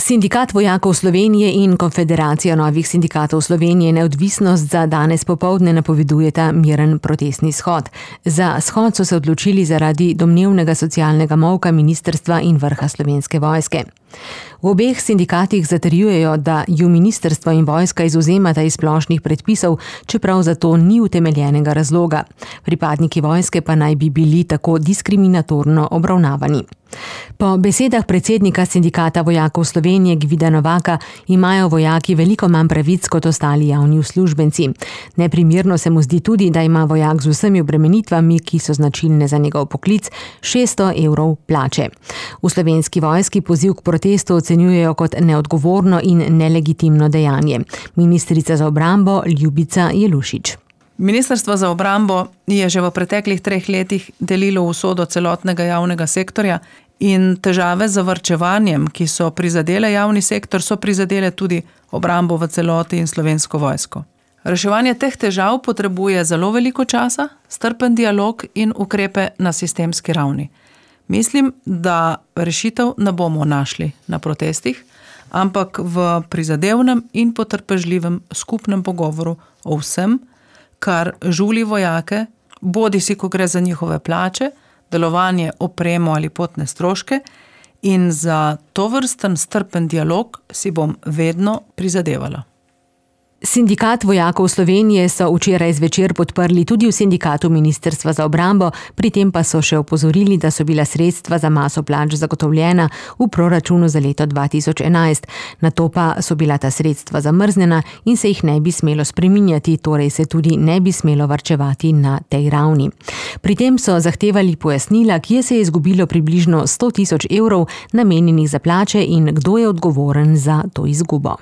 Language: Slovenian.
Sindikat vojakov Slovenije in Konfederacija novih sindikatov Slovenije Neodvisnost za danes popoldne napovedujeta miren protestni shod. Za shod so se odločili zaradi domnevnega socialnega molka ministrstva in vrha Slovenske vojske. V obeh sindikatih zatrjujejo, da ju ministrstvo in vojska izvzemata iz splošnih predpisov, čeprav za to ni utemeljenega razloga. Pripadniki vojske pa naj bi bili tako diskriminatorno obravnavani. Po besedah predsednika Sindikata vojakov Slovenije Gvida Novaka imajo vojaki veliko manj pravic kot ostali javni uslužbenci. Neprimerno se mu zdi tudi, da ima vojak z vsemi obremenitvami, ki so značilne za njegov poklic, 600 evrov plače. V Slovenski vojski poziv k protestu ocenjujejo kot neodgovorno in nelegitimno dejanje. Ministrica za obrambo Ljubica Jelušič. Ministrstvo za obrambo je že v preteklih 3 letih delilo usodo celotnega javnega sektorja in težave z varčevanjem, ki so prizadele javni sektor, so prizadele tudi obrambo v celoti in Slovensko vojsko. Reševanje teh težav potrebuje zelo veliko časa, strpen dialog in ukrepe na sistemski ravni. Mislim, da rešitev ne bomo našli na protestih, ampak v prizadevnem in potrpežljivem skupnem pogovoru o vsem, kar žuli vojake, bodisi ko gre za njihove plače, delovanje, opremo ali potne stroške, in za tovrsten strpen dialog si bom vedno prizadevala. Sindikat vojakov Slovenije so včeraj zvečer podprli tudi v sindikatu Ministrstva za obrambo, pri tem pa so še opozorili, da so bila sredstva za maso plač zagotovljena v proračunu za leto 2011. Nato pa so bila ta sredstva zamrznjena in se jih ne bi smelo spreminjati, torej se tudi ne bi smelo varčevati na tej ravni. Pri tem so zahtevali pojasnila, kje se je izgubilo približno 100 000 evrov namenjenih za plače in kdo je odgovoren za to izgubo.